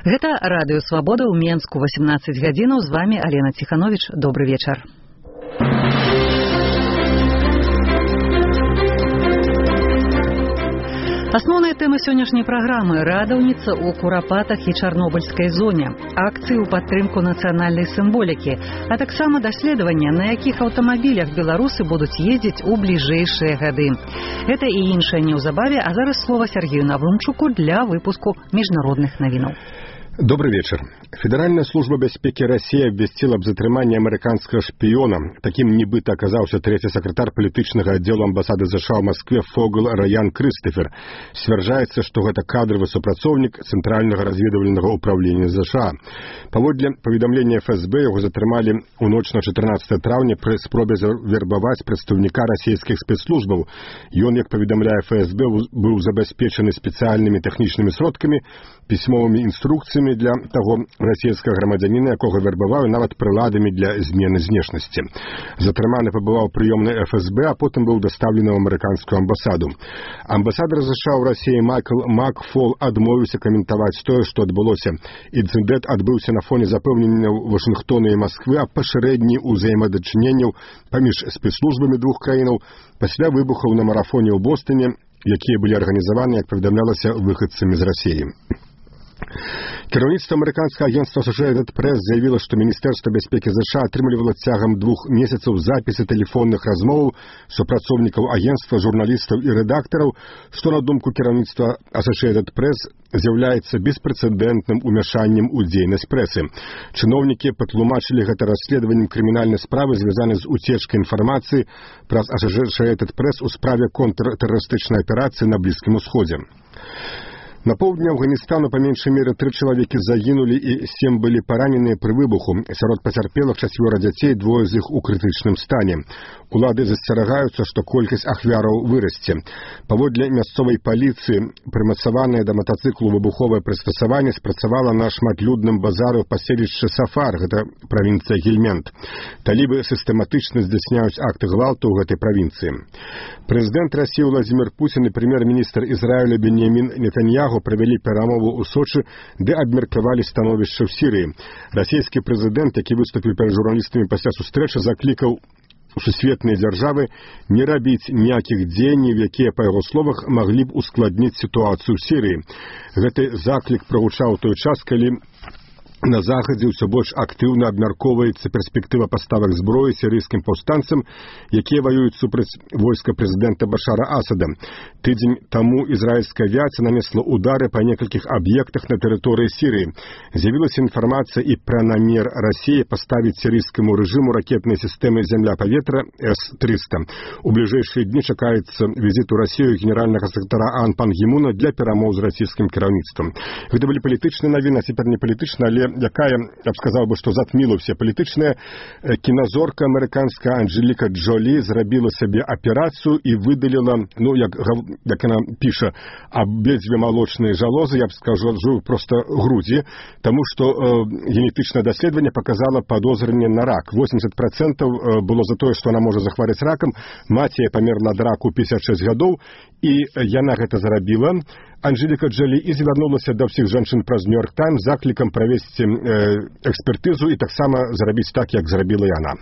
Гэта радыё Свабода ў Менску 18 гадзінаў. З вами Алена Ціханович. Добры вечар. Асноўныя тэмы сённяшняй праграмы: радаўніца ў курапатах і чарнобыльскай зоне, акцыі ў падтрымку нацыянальнай сімволікі, а таксама даследавання, на якіх аўтамабілях беларусы будуць ездзіць у бліжэйшыя гады. Гэта і іншае неўзабаве, а зараз слова Сергею Наврунчуку для выпуску міжнародных навінаў. Добрый вечер. Федеральная служба бяспекі России абвясціла аб затрыманні амерыканскага шпіёна. Такім нібыта аказаўся трэці сакратар палітычнага аддзелу амбасады США ў Маскве Фогл Раян Крыстафер. Сцвярджаецца, што гэта кадравы супрацоўнік Цэнтральнага разведвальнага ўправлення США. Паводле паведамлення ФСБ яго затрымалі ў ноч на 14 траўня пры спробе вербаваць прадстаўніка расійскіх спецслужбаў. Ён, як паведамляе ФСБ, быў забяспечаны спецыяльнымі тэхнічнымі сродкамі, пісьмовымі інструкцыямі для таго расійскага грамадзяніна, якога вербаваў, нават прыладамі для змены знешнасці. Затрыманы пабываў прыёмнай ФСБ, а потым быў дастаўлены ў амерыканскую амбасаду. Амбасадар США ў Расіі Майкл Макфол адмовіўся каментаваць тое, што адбылося. Інцыдэнт адбыўся на фоне запэўненняў Вашынгтона і Масквы аб пашырэнні ўзаемадачыненняў паміж спецслужбамі двух краінаў пасля выбухаў на марафоне ў Бостоне, якія былі арганізаваны, як паведамлялася, выхадцамі з Расіі. Кіраўніцтва амерыканскага агентства Associated Press заявіла, што Міністэрства бяспекі США атрымлівала цягам 2 месяцаў запісы тэлефонных размоваў супрацоўнікаў агентства, журналістаў і рэдактараў, што, на думку кіраўніцтва Associated Press, з'яўляецца беспрэцэдэнтным умяшаннем у дзейнасць прэсы. Чыноўнікі патлумачылі гэта расследаваннем крымінальнай справы, звязанай з уцечкай інфармацыі праз Associated Press у справе контртэрарыстычнай аперацыі на Блізкім Усходзе. На поўдні Афганістану па меншай меры 3 чалавекі загінулі і 7 былі параненыя пры выбуху. Сярод пацярпелых 4 дзяцей, 2 з іх у крытычным стане. Улады засцерагаюцца, што колькасць ахвяраў вырасце. Паводле мясцовай паліцыі, прымацаванае да матацыклу выбуховае прыстасаванне спрацавала на шматлюдным базары ў паселішчы Сафар, гэта правінцыя Гельмент. Талібы сістэматычна здзяйсняюць акты гвалту ў гэтай правінцыі. Прэзідэнт Расіі Владзімір Пуцін і прэм'ер-міністр Ізраіля Беньямін Нетаньяху правялі перамову ў Сочы, ды абмеркавалі становішча ў Сірыі. Расійскі прэзідэнт, які выступіў перад журналістамі пасля сустрэчы, заклікаў сусветныя дзяржавы не рабіць ніякіх дзеянняў, якія, па яго словах, маглі б ускладніць сітуацыю ў Сірыі. Гэты заклік прагучаў у той час, калі на захадзе ўсё больш актыўна абмяркоўваецца перспектыва паставак зброі сірыйскім паўстанцам, якія ваююць супраць войска прэзідэнта Башара Асада. Тыдзень таму ізраільская авіацыя нанесла удары па некалькіх аб'ектах на тэрыторыі Сірыі. З'явілася інфармацыя і пра намер Расіі паставіць сірыйскаму рэжыму ракетнай сістэмы зямля-паветра С-300. У бліжэйшыя дні чакаецца візіт у Расію генеральнага сакратара Ан Пан Гі Муна для перамоў з расійскім кіраўніцтвам. Гэта былі палітычныя навіны, а цяпер не палітычныя, але якая, я б сказаў бы, што затміла ўсе палітычныя. Кіназорка амерыканская Анджеліка Джолі зрабіла сабе аперацыю і выдаліла, як яна піша, абедзве малочныя жалозы, я б скажу, проста грудзі, таму што генетычнае даследаванне паказала падозрэнне на рак. 80% было за тое, што яна можа захварэць ракам. Маці памерла ад раку 56 гадоў, і яна гэта зрабіла. Анджеліка Джолі і звярнулася да ўсіх жанчын праз Нью-Йорк Таймс з заклікам правесці экспертызу і таксама зрабіць так, як зрабіла яна.